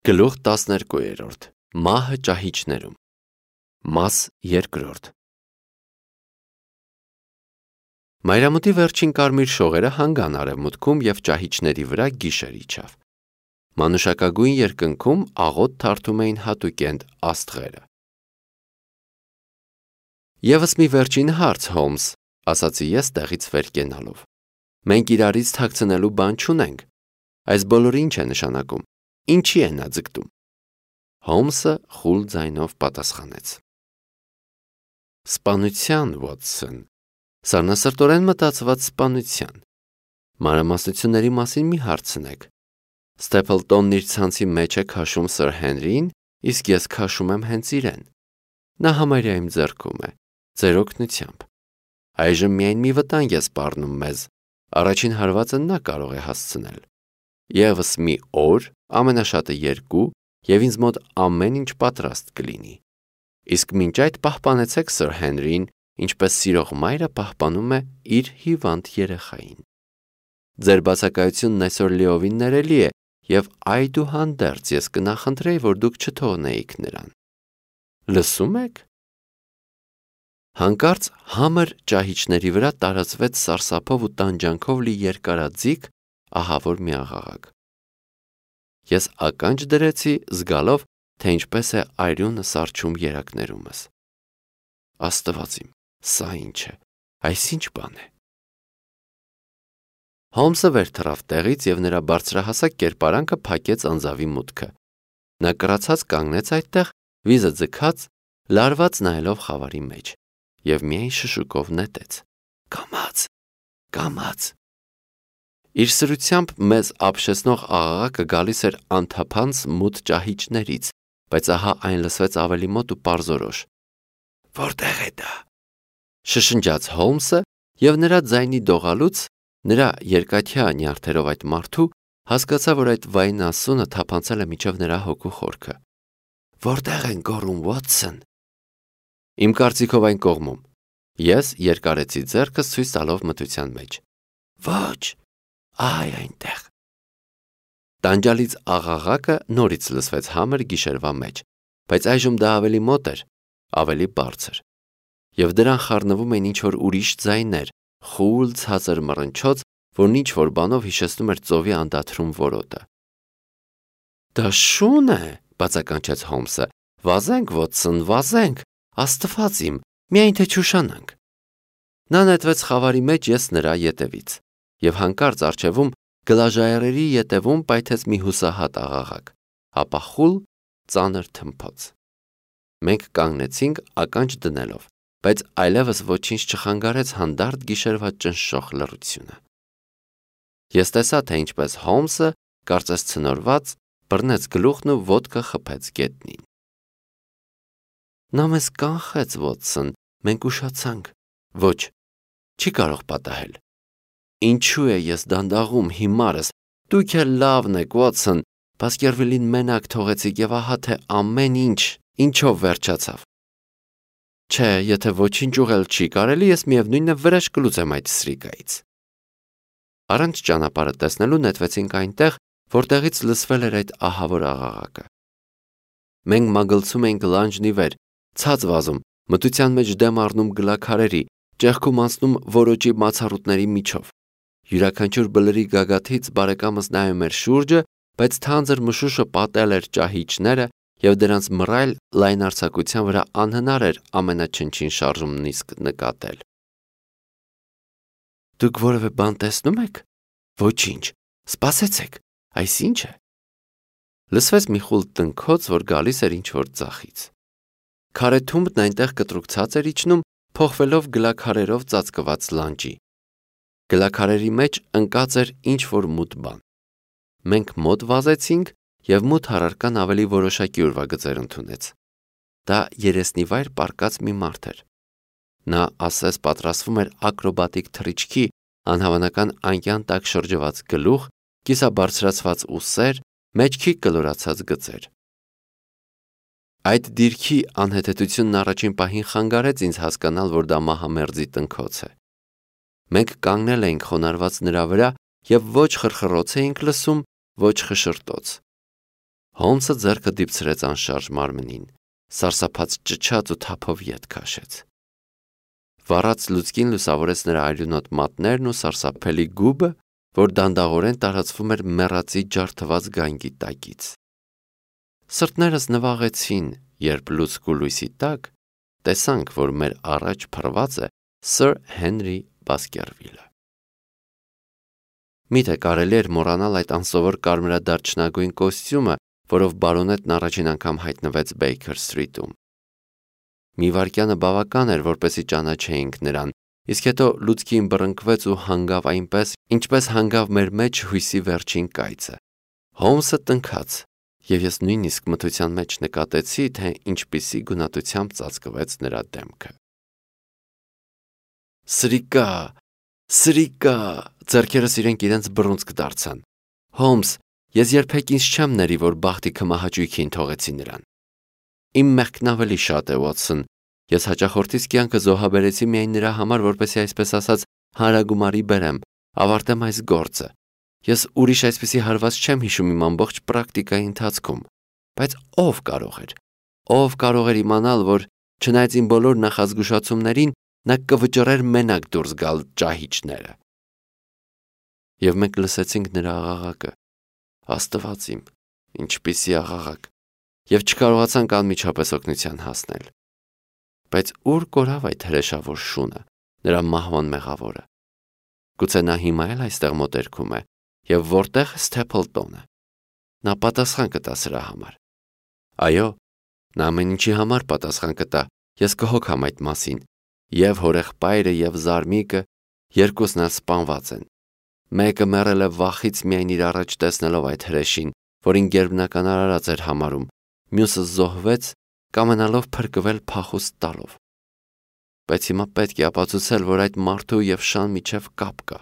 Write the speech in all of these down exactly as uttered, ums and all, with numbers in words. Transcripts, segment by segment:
Գլուխ տասներկուերորդ Մահը ճահիճներում Մաս երկրորդ Մայրամուտի վերջին կարմիր շողերը հանգան արևմուտքում և ճահիճների վրա գիշեր իջավ։ Մանուշակագույն երկնքում աղոտ թարթում էին հատուկենտ աստղերը։ Եվս մի վերջին հարց, Հոլմս, ասացի ես տեղից վեր կենալով։ Մենք իրարից թաքցնելու բան չունենք։ Այս բոլորը ինչ է նշանակում։ Ինչի է նա ձգտում։ Հոլմսը խուլ ձայնով պատասխանեց. Սպանության, Վոտսոն, սառնասրտորեն մտածված սպանության։ Մանրամասնությունների մասին մի հարցնեք։ Ստեփլտոնն իր ցանցի մեջ է քաշում Սըր Հենրիին, իսկ ես քաշում եմ հենց իրեն։ Նա համարյա իմ ձեռքում է, ձեր օգնությամբ։ Այժմ միայն մի վտանգ է սպառնում մեզ։ Առաջին հարվածը նա կարող է հասցնել։ Եվս մի օր, ամենաշատը երկու, և ինձ մոտ ամեն ինչ պատրաստ կլինի։ Իսկ մինչ այդ պահպանեցեք Սըր Հենրիին, ինչպես սիրող մայրը պահպանում է իր հիվանդ երեխային։ Ձեր բացակայությունն այսօր լիովին ներելի է, և այդուհանդերձ ես կնախընտրեի, որ դուք չթողնեիք նրան։ Լսում եք։ Հանկարծ համր ճահիճների վրա տարածվեց սարսափով ու տանջանքով լի երկարաձիգ, ահավոր մի աղաղակ։ Ես ականջ դրեցի, զգալով, թե ինչպես է այրունը սառչում երակներումս։ Աստված իմ, սա ինչ է, այս ինչ բան է։ Հոլմսը վեր թռավ տեղից և նրա բարձրահասակ կերպարանքը փակեց անձավի մուտքը։ Նա կռացած կանգնեց այդտեղ, վիզը ձգած, լարված նայելով խավարի մեջ, և միայն շշուկով նետեց. Կամաց, կամաց։ Իր սրությամբ մեզ ապշեցնող աղաղակը գալիս էր անթափանց մութ ճահիճներից, բայց ահա այն լսվեց ավելի մոտ ու պարզորոշ։ Որտե՞ղ է դա։ Շշնջաց Հոլմսը, և նրա ձայնի դողալուց, նրա երկաթյա նյարդերով այդ մարդու, հասկացա, որ այդ վայրն ասունը թափանցել է մինչև նրա հոգու խորքը։ Որտե՞ղ են գոռում, Վոտսոն։ Իմ կարծիքով այն կողմում։ Ես երկարեցի ձեռքս ցույց տալով մթության մեջ։ Ոչ, այ այնտեղ։ Տանջալից աղաղակը նորից լսվեց համր գիշերվա մեջ, բայց այժմ դա ավելի մոտ էր, ավելի բարձր, և դրան խառնվում էին ինչ-որ ուրիշ ձայներ, խուլ ցածր մռնչոց, որն ինչ-որ բանով հիշեցնում էր ծովի անդադրում որոտը։ Դա շուն է, բացականչեց Հոլմսը։ Վազենք, Վոտսոն, վազենք, Աստված իմ, միայն թե չուշանանք։ Նա նետվեց խավարի մեջ, ես նրա ետևից, և հանկարծ առջևում գլաժայռերի ետևում պայթեց մի հուսահատ աղաղակ, ապա խուլ ծանր թմփոց։ Մենք կանգնեցինք ականջ դնելով, բայց այլևս ոչինչ չխանգարեց հանդարտ գիշերվա ճնշող լռությունը։ Ես տեսա, թե ինչպես Հոլմսը, կարծես ցնորված, բռնեց գլուխն ու ոտքը խփեց գետնին։ Նա մեզ կանխեց, Վոտսոն, մենք ուշացանք։ Ոչ, չի կարող պատահել։ Ինչու է ես դանդաղում, հիմարս, դուք էլ լավն եք, Վոտսոն, Բասկերվիլին մենակ թողեցիք և ահա թե ամեն ինչ, ինչով վերջացավ։ Չէ, եթե ոչինչ ուղղել չի կարելի, ես միևնույն է վրեժ կլուծեմ այդ սրիկայից։ Առանց ճանապարհը տեսնելու նետվեցինք այնտեղ, որտեղից լսվել էր այդ ահավոր աղաղակը։ Մենք մագլցում էինք լանջն ի վեր, ցած վազում, մթության մեջ դեմ առնում գլաքարերի, ճեղքում անցնում որոճի մացառուտների միջով։ Յուրաքանչյուր բլրի գագաթից բարեկամս նայում էր շուրջը, բայց թանձր մշուշը պատել էր ճահիճները, և դրանց մռայլ լայնարձակության վրա անհնար էր ամենաչնչին շարժումն իսկ նկատել։ Դուք որևէ բան տեսնում եք։ Ոչինչ, սպասեցեք, այս ինչ է։ Լսվեց մի խուլ տնքոց, որ գալիս էր ինչ-որ ձախից։ Քարե թումբն այնտեղ կտրուկ էր իջնում, փոխվելով գլաքարերով ծածկված լանջի։ Գլաքարերի մեջ ընկած էր ինչ-որ մութ բան։ Մենք մոտ վազեցինք, և մութ առարկան ավելի որոշակի ուրվագծեր ընդունեց։ Դա երեսնիվայր պառկած մի մարդ էր։ Նա ասես պատրաստվում էր ակրոբատիկ թռիչքի, անհավանական անկյան տակ շրջված գլուխ, կիսաբարձրացված ուսեր, մեջքի կլորացած գծեր։ Այդ դիրքի անհեթեթությունն առաջին պահին խանգարեց ինձ հասկանալ, որ դա մահամերձի տնքոց է։ Մենք կանգնել էինք խոնարհված նրա վրա և ոչ խրխռոց էինք լսում, ոչ խշշրտոց։ Հոլմսը ձեռքը դիպցրեց անշարժ մարմնին, սարսափած ճչաց ու թափով ետ քաշեց։ Վառած լուցկին լուսավորեց նրա այլունոտ մատներն ու սարսափելի գուբը, որ դանդաղորեն տարածվում էր մեռածի ջարդված գայնգի տակից։ Սրտներս նվաղեցին, երբ լուցկու լույսի տակ տեսանք, որ մեր առաջ փռված է Սըր Հենրի Բասկերվիլը։ Միթե կարելի էր մոռանալ այդ անսովոր կարմրադարչնագույն կոստյումը, որով բարոնետն առաջին անգամ հայտնվեց Բեյքեր Սթրիթում։ Մի վայրկյանը բավական էր, որպեսզի ճանաչեինք նրան, իսկ հետո լուցկին բռնկվեց ու հանգավ այնպես, ինչպես հանգավ մեր մեջ հույսի վերջին կայծը։ Հոլմսը տնքաց, եւ ես նույնիսկ մթության մեջ նկատեցի, թե ինչպիսի գունատությամբ ծածկվեց նրա դեմքը։ Սրիկա, սրիկա, ձեռքերս իրենք իրենց բռունցք դարձան։ Հոլմս, ես երբեք ինձ չեմ ների, որ բախտի քմահաճույքին թողեցի նրան։ Իմ մեղքն ավելի շատ է, Ուոտսոն, ես հաճախորդից կյանքը զոհաբերեցի միայն նրա համար, որպեսզի այսպես ասած հանրագումարի բերեմ, ավարտեմ այս գործը։ Ես ուրիշ այսպիսի հարված չեմ հիշում իմ ամբողջ պրակտիկայի ընթացքում, բայց ով կարող էր, ով կարող էր իմանալ, որ չնայած իմ բոլոր նախազգուշացումներին, նա կվճռեր մենակ դուրս գալ ճահիճները։ Եվ մենք լսեցինք նրա աղաղակը, Աստված իմ, ինչպիսի աղաղակ, եւ չկարողացանք անմիջապես օգնության հասնել։ Բայց ուր կորավ այդ հրեշավոր շունը, նրա մահվան մեղավորը։ Գուցե նա հիմա էլ այստեղ մոտերքում է, եւ որտեղ է Սթեփլտոնը։ Նա պատասխան կտա սրա համար։ Այո, նա ամեն ինչի համար պատասխան կտա, ես կհոգամ այդ մասին, եւ հորեղբայրը եւ զարմիկը երկուսն էլ սպանված են։ Մեկը մեռել է վախից միայն իր առաջ տեսնելով այդ հրեշին, որին գերբնական արարած էր համարում, մյուսը զոհվեց, կամենալով փրկվել փախուստ տալով։ Բայց հիմա պետք է ապացուցել, որ այդ մարդու եւ շան միջև կապ կա։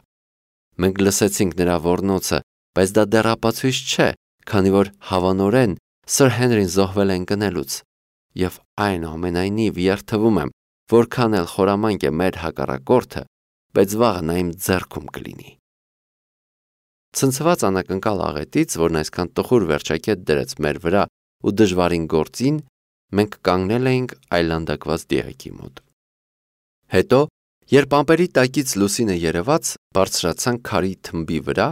Մենք լսեցինք նրա ոռնոցը, բայց դա դեռ ապացույց չէ, քանի որ հավանորեն Սըր Հենրին զոհվել է ընկնելուց, եւ այնուամենայնիվ երթվում եմ, որքան էլ խորամանկ է մեր հակառակորդը, բայց վաղը նա իմ ձեռքում կլինի։ Ցնցված անակնկալ աղետից, որն այսքան տխուր վերջակետ դրեց մեր վրա ու դժվարին գործին, մենք կանգնել էինք այլանդակված դիակի մոտ։ Հետո, երբ ամպերի տակից լուսինը երևաց, բարձրացանք քարի թմբի վրա,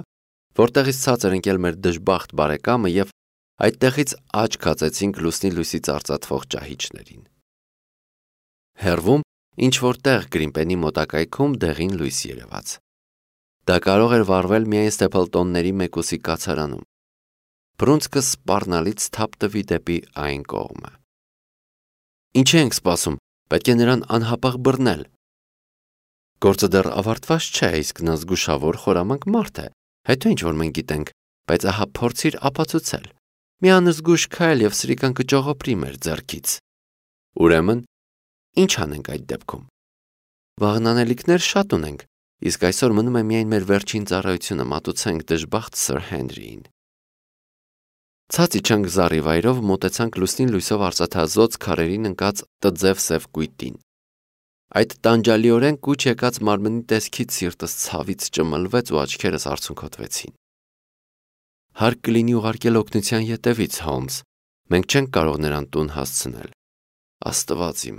որտեղից ցած էր ընկել մեր դժբախտ բարեկամը եւ այդտեղից աչք հացեցինք լուսնի լույսից արծաթվող ճահիճներին։ Հեռվում, ինչ որտեղ Գրիմպենի մոտակայքում դեղին լույս երևաց։ Դա կարող էր վառվել միայն Ստեփլտոնների մեկուսի կացարանում։ Բռունցքը սպառնալից թափ տվի դեպի այն կողմը։ Ինչ ենք սպասում, պետք է նրան անհապաղ բռնել։ Գործը դեռ ավարտված չէ, իսկ նա զգուշավոր խորամանկ մարդ է, հետո ինչ որ մենք գիտենք, բայց ահա փորձիր ապացուցել։ Մի անզգույշ քայլ եւ սրիկան կճողոպրի մեր ձեռքից։ Ուրեմն, ինչ անենք այդ դեպքում։ Վաղնանելիքներ շատ ունենք, իսկ այսօր մնում է միայն մեր վերջին ծառայությունը մատուցենք դժբախտ Սըր Հենրիին։ Ցած իջանք զառիվայրով, մոտեցանք լուսնին լույսով արծաթազոծ քարերին ընկած տձև սև կույտին։ Այդ տանջալիորեն կուչ եկած մարմնի տեսքից սիրտս ցավից ճմլվեց ու աչքերս արցունքոտվեցին։ Հարկ կլինի ուղարկել օգնության ետևից, Հոլմս, մենք չենք կարող նրան տուն հասցնել։ Աստված իմ,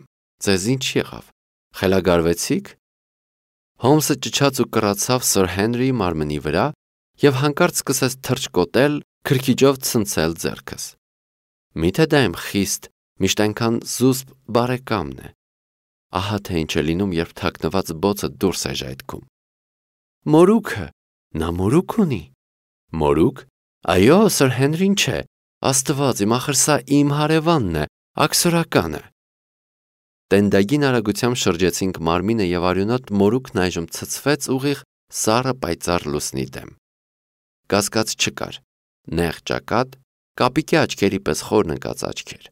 ձեզ ինչ եղավ, խելագարվեցիք։ Հոլմսը ճչաց ու կռացավ Սըր Հենրիի մարմնի վրա եւ հանկարծ սկսեց թռչկոտել, քրքիջով ցնցել ձեռքս։ Միթե դա իմ խիստ, միշտ այնքան զուսպ բարեկամն է։ Ահա թե ինչ է լինում, երբ թաքնված բոցը դուրս է ժայթքում։ Մորուքը, նա մորուք ունի։ Մորուք։ Այո, Սըր Հենրին չէ։ Աստված իմ, ախր սա իմ հարևանն է, աքսորականը։ Տենդագին արագությամբ շրջեցինք մարմինը եւ արյունոտ մորուքն այժմ ցցվեց ուղիղ սառը պայծառ լուսնի դեմ։ Կասկած չկար։ Նեղ ճակատ, կապիկի աչքերի պես խորն ընկած աչքեր։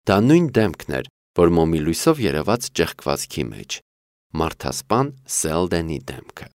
Դա նույն դեմքն էր, որ մոմի լույսով երևաց ճեղքվածքի մեջ։ Մարդասպան Սելդենի դեմքը։